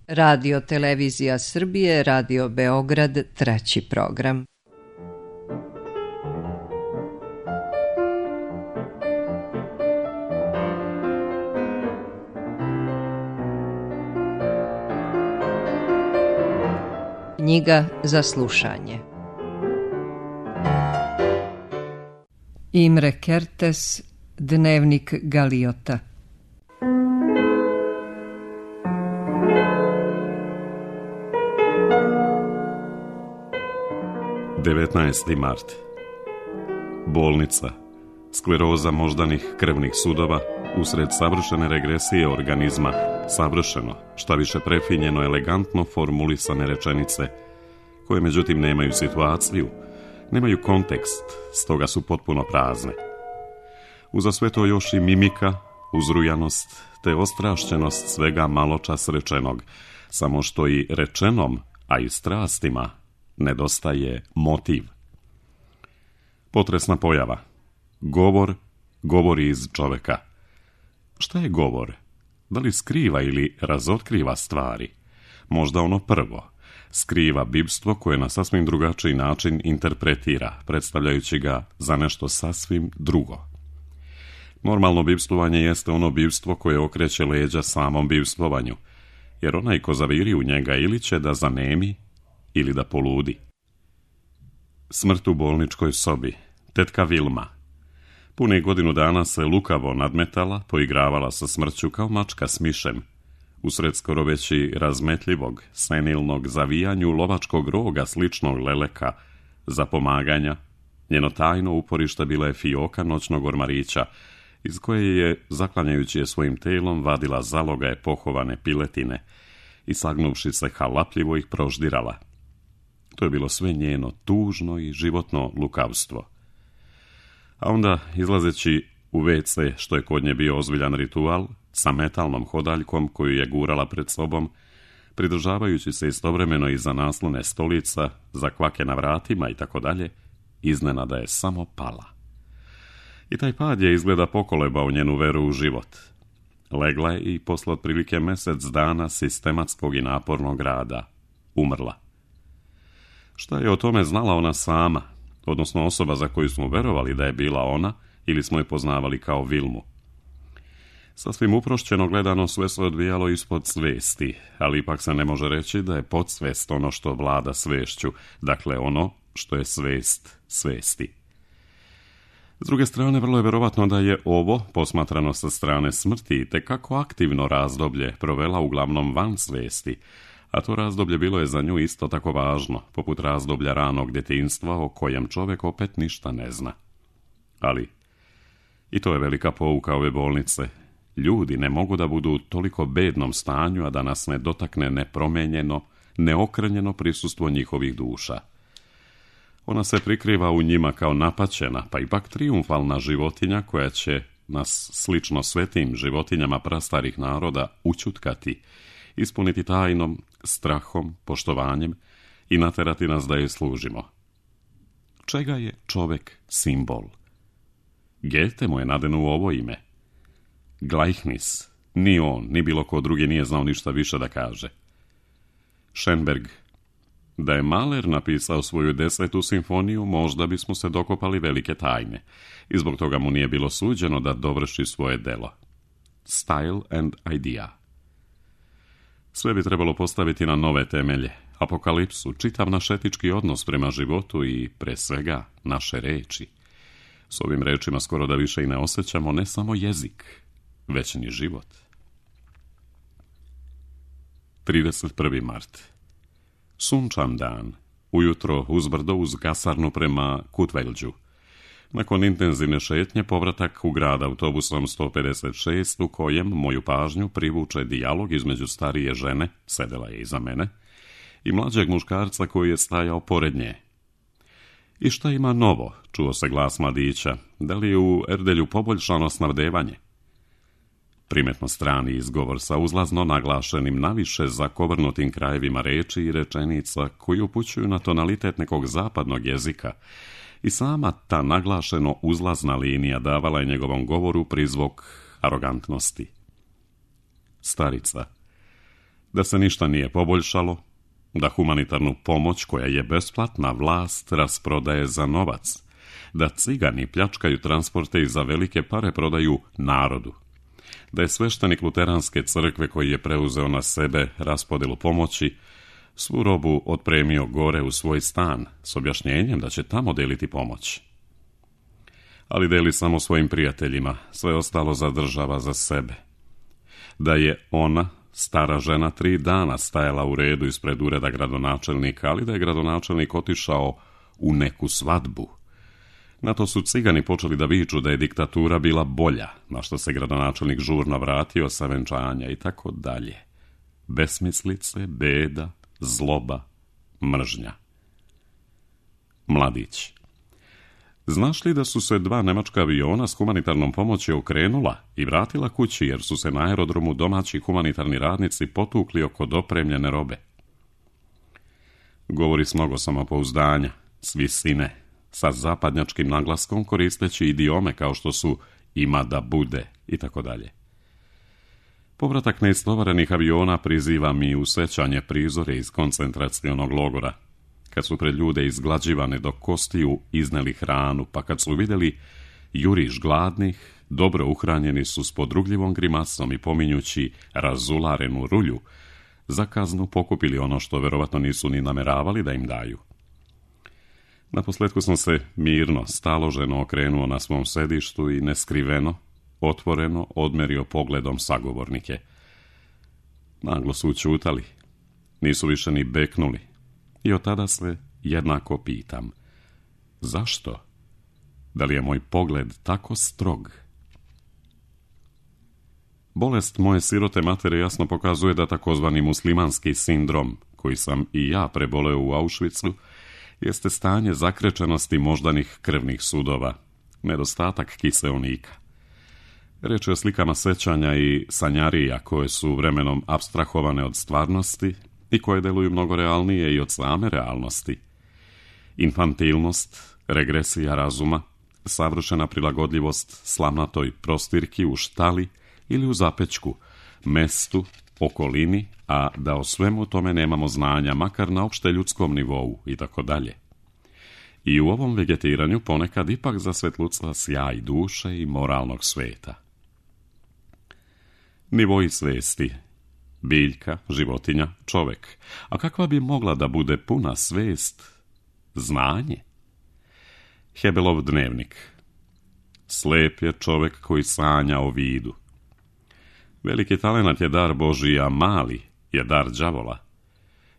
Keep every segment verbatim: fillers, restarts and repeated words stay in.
Radio Televizija Srbije, Radio Beograd, treći program. Knjiga za slušanje. Imre Kertész, Dnevnik Galiota. devetnaesti mart. Bolnica. Skleroza moždanih krvnih sudova usred savršene regresije organizma, savršeno, šta više prefinjeno, elegantno formulisane rečenice, koje međutim nemaju situaciju, nemaju kontekst, stoga su potpuno prazne. Uza sve to još i mimika, uzrujanost, te ostrašćenost svega maločas rečenog, samo što i rečenom, a i strastima, nedostaje motiv. Potresna pojava. Govor govori iz čoveka. Šta je govor? Da li skriva ili razotkriva stvari? Možda ono prvo. Skriva bibstvo koje na sasvim drugačiji način interpretira, predstavljajući ga za nešto sasvim drugo. Normalno bibstvovanje jeste ono bibstvo koje okreće leđa samom bibstvovanju, jer onaj ko zaviri u njega ili će da zanemi, ili da poludi. Smrt u bolničkoj sobi. Tetka Vilma. Pune godinu dana se lukavo nadmetala, poigravala sa smrću kao mačka s mišem. Usred skoro već i razmetljivog, senilnog zavijanju lovačkog roga sličnog leleka, za pomaganja, njeno tajno uporište bila je fioka noćnog ormarića, iz koje je, zaklanjajući je svojim telom, vadila zalogaje pohovane piletine i sagnuvši se halapljivo ih proždirala. To je bilo sve njeno tužno i životno lukavstvo. A onda, izlazeći u ve ce, što je kod nje bio ozbiljan ritual, sa metalnom hodaljkom koju je gurala pred sobom, pridržavajući se istovremeno iza naslone stolica, za kvake na vratima i tako dalje, iznenada je samo pala. I taj pad je izgleda pokolebao njenu veru u život. Legla je i posle otprilike mjesec dana sistematskog i napornog rada umrla. Šta je o tome znala ona sama, odnosno osoba za koju smo verovali da je bila ona ili smo je poznavali kao Vilmu? Sasvim uprošćeno gledano sve se odvijalo ispod svesti, ali ipak se ne može reći da je podsvest ono što vlada svešću, dakle ono što je svest svesti. S druge strane, vrlo je verovatno da je ovo, posmatrano sa strane smrti, tekako aktivno razdoblje provela uglavnom van svesti, a to razdoblje bilo je za nju isto tako važno, poput razdoblja ranog djetinjstva o kojem čovjek opet ništa ne zna. Ali, i to je velika pouka ove bolnice, ljudi ne mogu da budu u toliko bednom stanju, a da nas ne dotakne nepromenjeno, neokrnjeno prisustvo njihovih duša. Ona se prikriva u njima kao napaćena, pa ipak trijumfalna životinja koja će nas, slično svetim životinjama prastarih naroda, učutkati, ispuniti tajnom, strahom, poštovanjem i naterati nas da je služimo. Čega je čovek simbol? Goethe mu je nadenuo ovo ime. Gleichnis. Ni on, ni bilo ko drugi nije znao ništa više da kaže. Schönberg. Da je Mahler napisao svoju desetu simfoniju, možda bismo se dokopali velike tajne, i zbog toga mu nije bilo suđeno da dovrši svoje delo. Style and idea. Sve bi trebalo postaviti na nove temelje, apokalipsu, čitav naš etički odnos prema životu i, pre svega, naše reči. S ovim rečima skoro da više i ne osjećamo ne samo jezik, već ni život. trideset prvi mart. Sunčan dan. Ujutro uzbrdo uz kasarnu prema Kutvelđu. Nakon intenzivne šetnje povratak u grad autobusom sto pedeset šest, u kojem moju pažnju privuče dijalog između starije žene, sedela je iza mene, i mlađeg muškarca koji je stajao pored nje. I šta ima novo, čuo se glas mladića, da li je u Erdelju poboljšano snabdevanje? Primetno strani izgovor sa uzlazno naglašenim naviše zakovrnutim krajevima reči i rečenica koji upućuju na tonalitet nekog zapadnog jezika, i sama ta naglašeno uzlazna linija davala je njegovom govoru prizvuk arogantnosti. Starica. da se ništa nije poboljšalo, da humanitarnu pomoć koja je besplatna vlast rasprodaje za novac, da cigani pljačkaju transporte i za velike pare prodaju narodu, da je sveštenik luteranske crkve koji je preuzeo na sebe raspodelu pomoći svu robu otpremio gore u svoj stan s objašnjenjem da će tamo deliti pomoć. Ali deli samo svojim prijateljima, sve ostalo zadržava za sebe. Da je ona, stara žena, tri dana stajala u redu ispred ureda gradonačelnika, ali da je gradonačelnik otišao u neku svadbu. Na to su cigani počeli da viču da je diktatura bila bolja, na što se gradonačelnik žurno vratio sa venčanja i tako dalje. Besmislice, beda, zloba, mržnja. Mladić. Znaš li da su se dva nemačka aviona s humanitarnom pomoći okrenula i vratila kući jer su se na aerodromu domaći humanitarni radnici potukli oko dopremljene robe? Govori s mnogo samopouzdanja, s visine, sa zapadnjačkim naglaskom koristeći idiome kao što su ima da bude i tako dalje. Povratak neistovarenih aviona priziva mi u sećanje prizore iz koncentracionog logora, kad su pred ljude izglađivane do kostiju izneli hranu, pa kad su vidjeli juriš gladnih, dobro uhranjeni su s podrugljivom grimasom i pominjući razularenu rulju, za kaznu pokupili ono što verovatno nisu ni nameravali da im daju. Naposletku sam se mirno, staloženo okrenuo na svom sedištu i neskriveno, otvoreno odmerio pogledom sagovornike. Naglo su učutali, nisu više ni beknuli. I od tada se jednako pitam, zašto? Da li je moj pogled tako strog? Bolest moje sirote matere jasno pokazuje da takozvani muslimanski sindrom, koji sam i ja preboleo u Auschwitzu, jeste stanje zakrečenosti moždanih krvnih sudova, nedostatak kiseonika. Reč je o slikama sećanja i sanjarija koje su vremenom apstrahovane od stvarnosti i koje deluju mnogo realnije i od same realnosti. Infantilnost, regresija razuma, savršena prilagodljivost slamnatoj prostirki u štali ili u zapećku, mestu, okolini, a da o svemu tome nemamo znanja, makar na opšte ljudskom nivou i tako dalje. I u ovom vegetiranju ponekad ipak zasvetlucla sjaj duše i moralnog sveta. Nivoji svesti. Biljka, životinja, čovek. A kakva bi mogla da bude puna svest? Znanje. Hebelov dnevnik. Slep je čovek koji sanja o vidu. Veliki talenat je dar Božiji, a mali je dar đavola.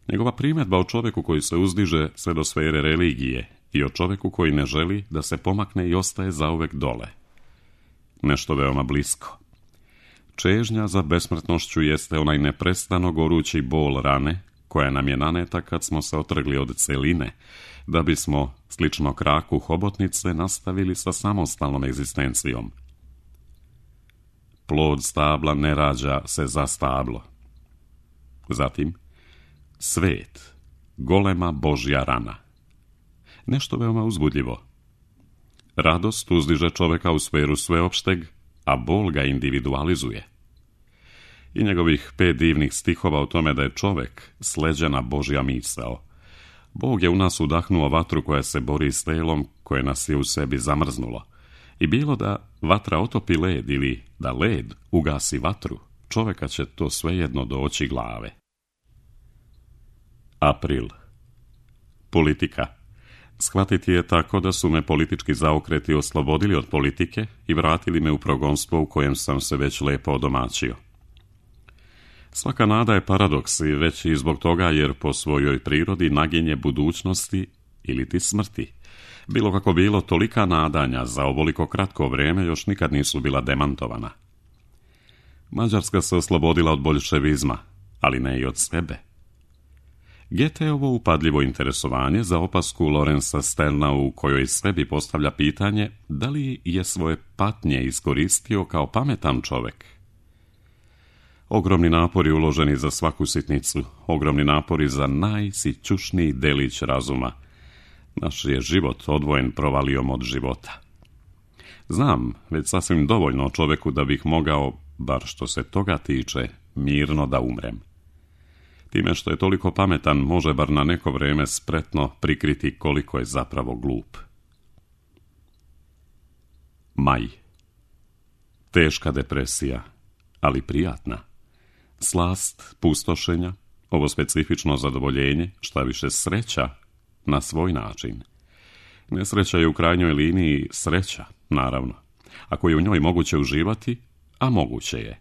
Njegova primjedba o čoveku koji se uzdiže sve do sfere religije i o čoveku koji ne želi da se pomakne i ostaje zauvek dole. Nešto veoma blisko. Čežnja za besmrtnošću jeste onaj neprestano gorući bol rane koja nam je naneta kad smo se otrgli od celine, da bismo, slično kraku hobotnice, nastavili sa samostalnom egzistencijom. Plod stabla ne rađa se za stablo. Zatim, svet, golema Božja rana. Nešto veoma uzbudljivo. Radost uzdiže čoveka u sferu sveopšteg, a bol ga individualizuje. I njegovih pet divnih stihova o tome da je čovek sleđena Božja misao. Bog je u nas udahnuo vatru koja se bori s telom koje nas je u sebi zamrznulo. I bilo da vatra otopi led ili da led ugasi vatru, čoveka će to svejedno doći glave. April. Politika. Shvatiti je tako da su me politički zaokreti oslobodili od politike i vratili me u progonstvo u kojem sam se već lepo odomaćio. Svaka nada je paradoks i već i zbog toga jer po svojoj prirodi naginje budućnosti ili ti smrti. Bilo kako bilo, tolika nadanja za ovoliko kratko vreme još nikad nisu bila demantovana. Mađarska se oslobodila od boljševizma, ali ne i od sebe. Goetheovo upadljivo interesovanje za opasku Lorenza Sterna u kojoj sebi postavlja pitanje da li je svoje patnje iskoristio kao pametan čovek. Ogromni napori uloženi za svaku sitnicu, ogromni napori za najsićušniji delić razuma. Naš je život odvojen provalijom od života. Znam već sasvim dovoljno o čoveku da bih mogao, bar što se toga tiče, mirno da umrem. Time što je toliko pametan, može bar na neko vrijeme spretno prikriti koliko je zapravo glup. Maj. Teška depresija, ali prijatna. Slast pustošenja, ovo specifično zadovoljenje, šta više sreća, na svoj način. Nesreća je u krajnjoj liniji sreća, naravno. Ako je u njoj moguće uživati, a moguće je.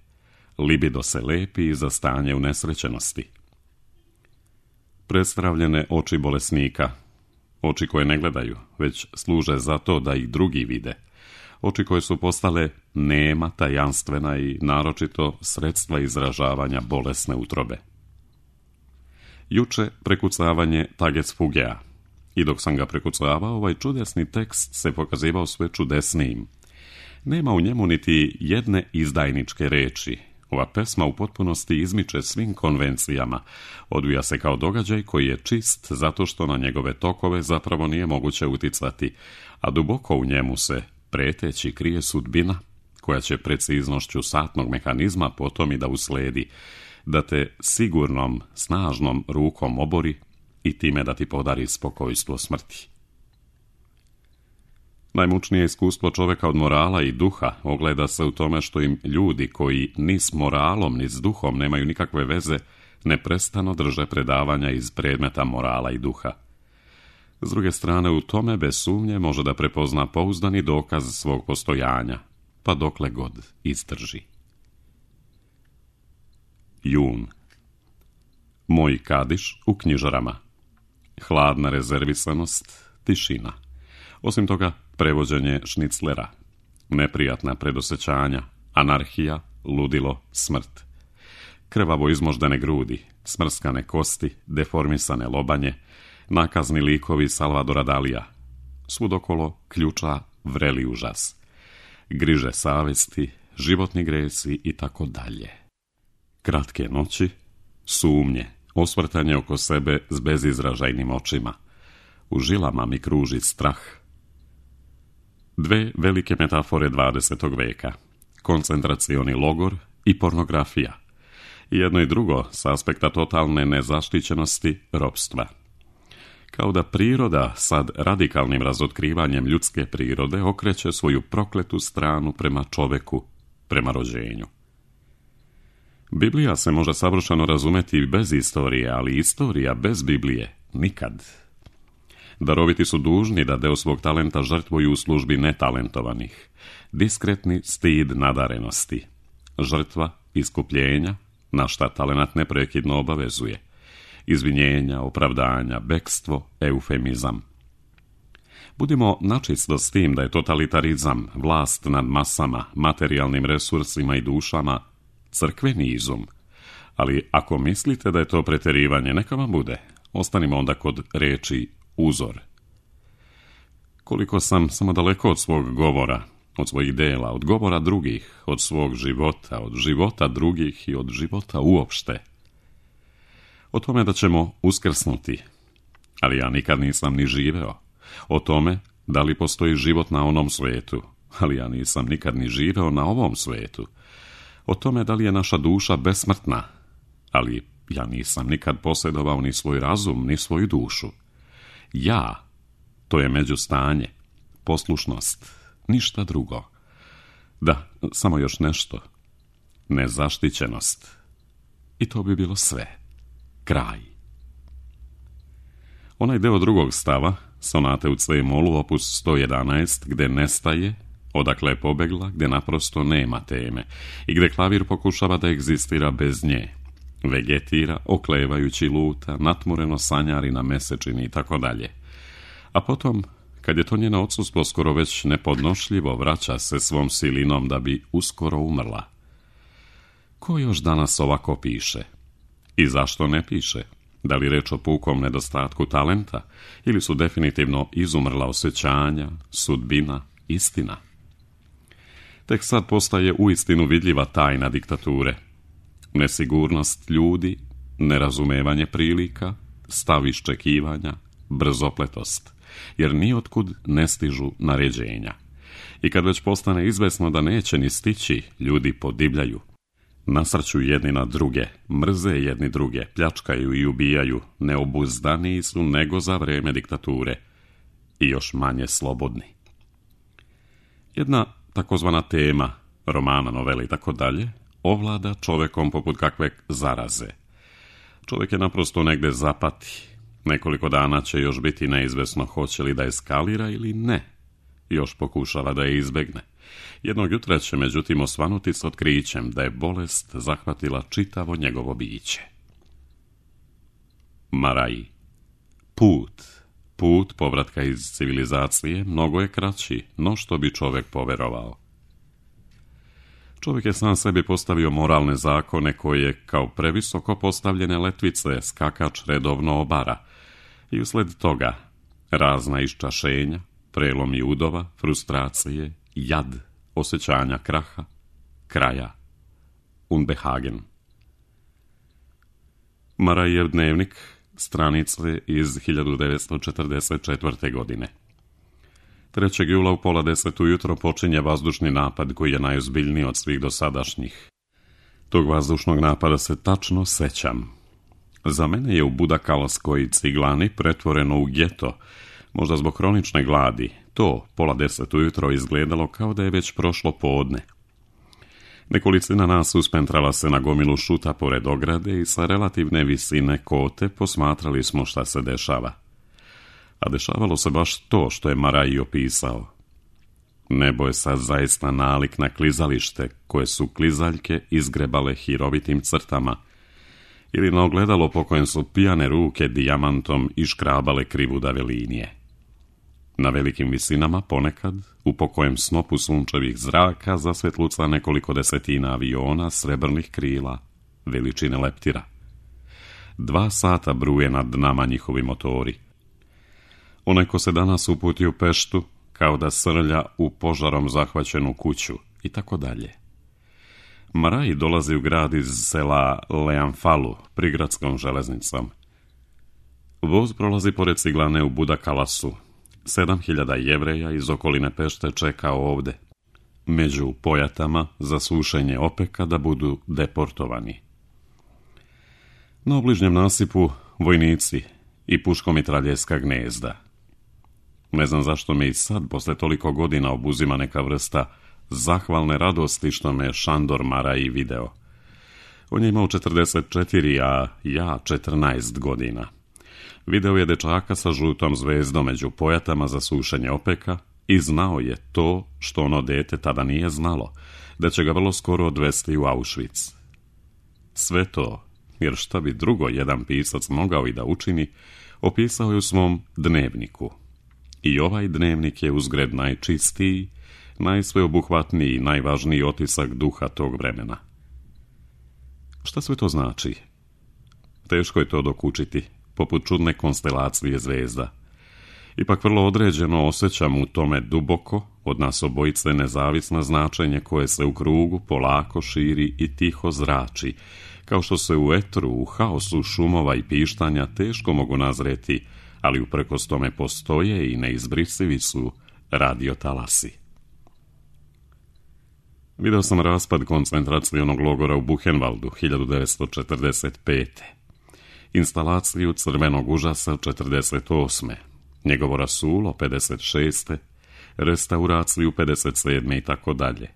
Libido se lepi za stanje unesrećenosti. Prestravljene oči bolesnika, oči koje ne gledaju, već služe za to da ih drugi vide. Oči koje su postale nema, tajanstvena i naročito sredstva izražavanja bolesne utrobe. Juče prekucavanje Tages Fugea. I dok sam ga prekucavao, ovaj čudesni tekst se pokazivao sve čudesnijim. Nema u njemu niti jedne izdajničke reči. Ova pesma u potpunosti izmiče svim konvencijama. Odvija se kao događaj koji je čist zato što na njegove tokove zapravo nije moguće uticati, a duboko u njemu se preteći krije sudbina koja će preciznošću satnog mehanizma potom i da usledi, da te sigurnom, snažnom rukom obori i time da ti podari spokojstvo smrti. Najmučnije iskustvo čovjeka od morala i duha ogleda se u tome što im ljudi koji ni s moralom ni s duhom nemaju nikakve veze neprestano drže predavanja iz predmeta morala i duha. S druge strane, u tome bez sumnje može da prepozna pouzdani dokaz svog postojanja, pa dokle god izdrži. Jun. Moj kadiš u knjižarama. Hladna rezervisanost, tišina. Osim toga, prevođenje šniclera, neprijatna predosjećanja, anarhija, ludilo, smrt. Krvavo izmoždene grudi, smrskane kosti, deformisane lobanje, nakazni likovi Salvadora Dalija. Svud okolo ključa vreli užas. Griže savesti, životni gresi i tako dalje. Kratke noći, sumnje, osvrtanje oko sebe s bezizražajnim očima. U žilama mi kruži strah. Dve velike metafore dvadesetog veka. Koncentracioni logor i pornografija. Jedno i drugo s aspekta totalne nezaštićenosti ropstva. Kao da priroda sad radikalnim razotkrivanjem ljudske prirode okreće svoju prokletu stranu prema čoveku, prema rođenju. Biblija se može savršeno razumeti bez istorije, ali istorija bez Biblije nikad. Daroviti su dužni da deo svog talenta žrtvuju u službi netalentovanih. Diskretni stid nadarenosti. Žrtva iskupljenja, na šta talenat neprekidno obavezuje. Izvinjenja, opravdanja, bekstvo, eufemizam. Budimo načisto s tim da je totalitarizam, vlast nad masama, materijalnim resursima i dušama, crkveni izum. Ali ako mislite da je to pretjerivanje, neka vam bude. Ostanimo onda kod reči uzor. Koliko sam samo daleko od svog govora, od svojih dela, od govora drugih, od svog života, od života drugih i od života uopšte. O tome da ćemo uskrsnuti, ali ja nikad nisam ni živeo. O tome da li postoji život na onom svijetu, ali ja nisam nikad ni živeo na ovom svijetu. O tome da li je naša duša besmrtna, ali ja nisam nikad posjedovao ni svoj razum, ni svoju dušu. Ja, to je međustanje, poslušnost, ništa drugo. Da, samo još nešto. Nezaštićenost. I to bi bilo sve. Kraj. Onaj deo drugog stava, sonate u C-molu, opus sto jedanaest, gde nestaje, odakle je pobegla, gde naprosto nema teme i gde klavir pokušava da egzistira bez nje. Vegetira, oklevajući luta, natmureno sanjari na mesečini i tako dalje. A potom, kad je to njeno odsustvo skoro već nepodnošljivo, vraća se svom silinom da bi uskoro umrla. Ko još danas ovako piše? I zašto ne piše? Da li reč o pukom nedostatku talenta ili su definitivno izumrla osjećanja, sudbina, istina? Tek sad postaje uistinu vidljiva tajna diktature. Nesigurnost ljudi, nerazumevanje prilika, stav iščekivanja, brzopletost, jer nijotkud ne stižu naređenja. I kad već postane izvesno da neće ni stići, ljudi podivljaju. Nasrću jedni na druge, mrze jedni druge, pljačkaju i ubijaju, neobuzdaniji su nego za vrijeme diktature i još manje slobodni. Jedna takozvana tema, romana, novela i tako dalje, ovlada čovjekom poput kakve zaraze. Čovjek je naprosto negdje zapati. Nekoliko dana će još biti neizvesno hoće li da eskalira ili ne. Još pokušava da je izbegne. Jednog jutra će međutim osvanuti s otkrićem da je bolest zahvatila čitavo njegovo biće. Maraji. Put. Put povratka iz civilizacije mnogo je kraći, no što bi čovjek poverovao. Čovjek je sam sebi postavio moralne zakone koje, kao previsoko postavljene letvice, skakač redovno obara i usled toga razna iščašenja, prelomi udova, frustracije, jad, osjećanja kraha, kraja, Unbehagen. Marajev dnevnik, stranice iz hiljadu devetsto četrdeset četvrte. godine. trećeg jula u pola deset ujutro počinje vazdušni napad koji je najozbiljniji od svih dosadašnjih. Tog vazdušnog napada se tačno sećam. Za mene je u Budakalskoj ciglani pretvoreno u geto, možda zbog hronične gladi. To, pola deset ujutro, izgledalo kao da je već prošlo podne. Nekolicina nas uspentrala se na gomilu šuta pored ograde i sa relativne visine kote posmatrali smo šta se dešava. A dešavalo se baš to što je Maraji opisao. Nebo je sad zaista nalik na klizalište koje su klizaljke izgrebale hirovitim crtama ili na ogledalo po kojem su pijane ruke dijamantom iškrabale krivudave linije. Na velikim visinama ponekad, u pokojem snopu sunčevih zraka, zasvetluca nekoliko desetina aviona srebrnih krila, veličine leptira. Dva sata bruje nad nama njihovi motori. Onaj ko se danas uputi u Peštu, kao da srlja u požarom zahvaćenu kuću, i tako dalje. Maraji dolazi u grad iz sela Leanfalu, prigradskom železnicom. Voz prolazi pored ciglane u Budakalasu. Sedam hiljada Jevreja iz okoline Pešte čeka ovde, među pojatama za sušenje opeka da budu deportovani. Na obližnjem nasipu vojnici i puškomitraljevska gnezda. Ne znam zašto me i sad, posle toliko godina, obuzima neka vrsta zahvalne radosti što me Šandor Maraji video. On je imao četrdeset četiri, a ja četrnaest godina. Video je dečaka sa žutom zvezdom među pojatama za sušenje opeka i znao je to što ono dete tada nije znalo, da će ga vrlo skoro odvesti u Auschwitz. Sve to, jer šta bi drugo jedan pisac mogao i da učini, opisao je u svom dnevniku. I ovaj dnevnik je uzgred najčistiji, najsveobuhvatniji i najvažniji otisak duha tog vremena. Šta sve to znači? Teško je to dokučiti, poput čudne konstelacije zvezda. Ipak vrlo određeno osjećam u tome duboko, od nas obojice, nezavisno značenje koje se u krugu polako širi i tiho zrači, kao što se u etru, u haosu šumova i pištanja teško mogu nazreti, ali uprkos tome postoje i neizbrisivi su radiotalasi. Video sam raspad koncentracionog logora u Buchenwaldu hiljadu devetsto četrdeset pete. Instalaciju crvenog užasa četrdeset osme. Njegovo rasulo pedeset šeste. Restauraciju pedeset sedme i tako dalje.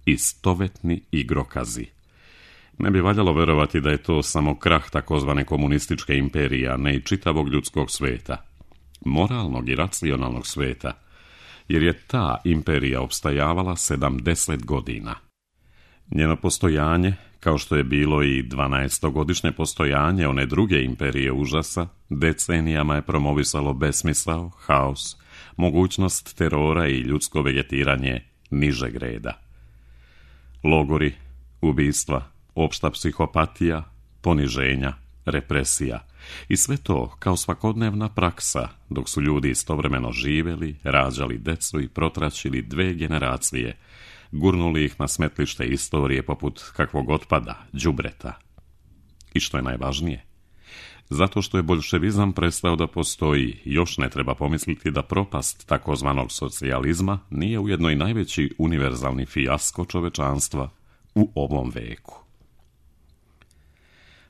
Istovetni igrokazi. Ne bi valjalo verovati da je to samo krah takozvane komunističke imperije, a ne i čitavog ljudskog sveta. Moralnog i racionalnog sveta. Jer je ta imperija opstajavala sedamdeset godina. Njeno postojanje, kao što je bilo i dvanaestogodišnje postojanje one druge imperije užasa, decenijama je promovisalo besmisao, haos, mogućnost terora i ljudsko vegetiranje nižeg reda. Logori, ubistva, opšta psihopatija, poniženja, represija i sve to kao svakodnevna praksa, dok su ljudi istovremeno živeli, rađali decu i protračili dve generacije, gurnuli ih na smetlište istorije poput kakvog otpada, đubreta. I što je najvažnije, zato što je boljševizam prestao da postoji, još ne treba pomisliti da propast takozvanog socijalizma nije ujedno i najveći univerzalni fijasko čovečanstva u ovom veku.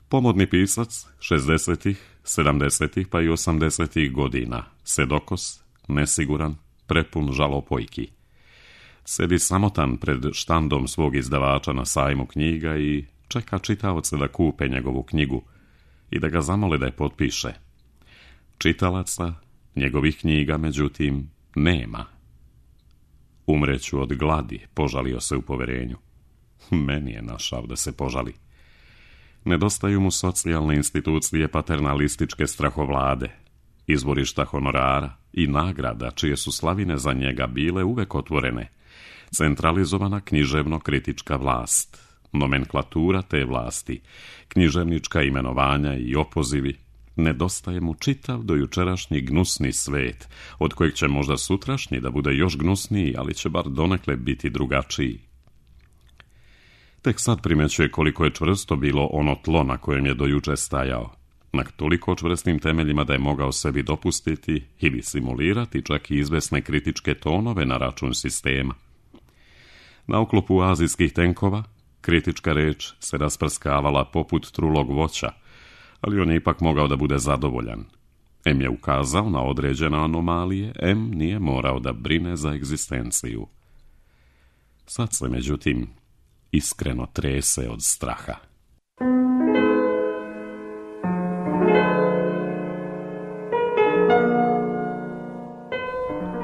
Pomodni pisac šezdesetih, sedamdesetih pa i osamdesetih godina, sedokos, nesiguran, prepun žalopojki. Sedi samotan pred štandom svog izdavača na sajmu knjiga i čeka čitaoce da kupe njegovu knjigu i da ga zamole da je potpiše. Čitalaca njegovih knjiga, međutim, nema. Umreću od gladi, požalio se u poverenju. Meni je našao da se požali. Nedostaju mu socijalne institucije paternalističke strahovlade, izvorišta honorara i nagrada čije su slavine za njega bile uvek otvorene, centralizovana književno-kritička vlast, nomenklatura te vlasti, književnička imenovanja i opozivi. Nedostaje mu čitav dojučerašnji gnusni svet, od kojeg će možda sutrašnji da bude još gnusniji, ali će bar donekle biti drugačiji. Tek sad primećuje koliko je čvrsto bilo ono tlo na kojem je dojuče stajao, na toliko čvrstim temeljima da je mogao sebi dopustiti ili simulirati čak i izvesne kritičke tonove na račun sistema. Na oklopu azijskih tenkova kritička reč se rasprskavala poput trulog voća, ali on je ipak mogao da bude zadovoljan. Em je ukazao na određene anomalije, em nije morao da brine za egzistenciju. Sad se, međutim, iskreno trese od straha.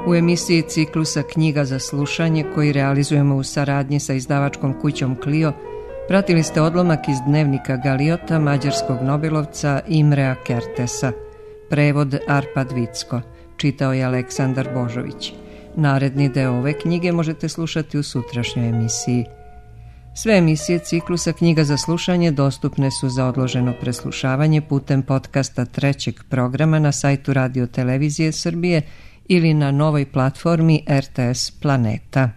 U emisiji ciklusa Knjiga za slušanje, koji realizujemo u saradnji sa izdavačkom kućom Clio, pratili ste odlomak iz dnevnika Galiota mađarskog nobelovca Imrea Kertesa. Prevod Arpad Vicko. Čitao je Aleksandar Božović. Naredni deo ove knjige možete slušati u sutrašnjoj emisiji. Sve emisije ciklusa Knjiga za slušanje dostupne su za odloženo preslušavanje putem podcasta trećeg programa na sajtu Radio Televizije Srbije ili na novoj platformi R T S Planeta.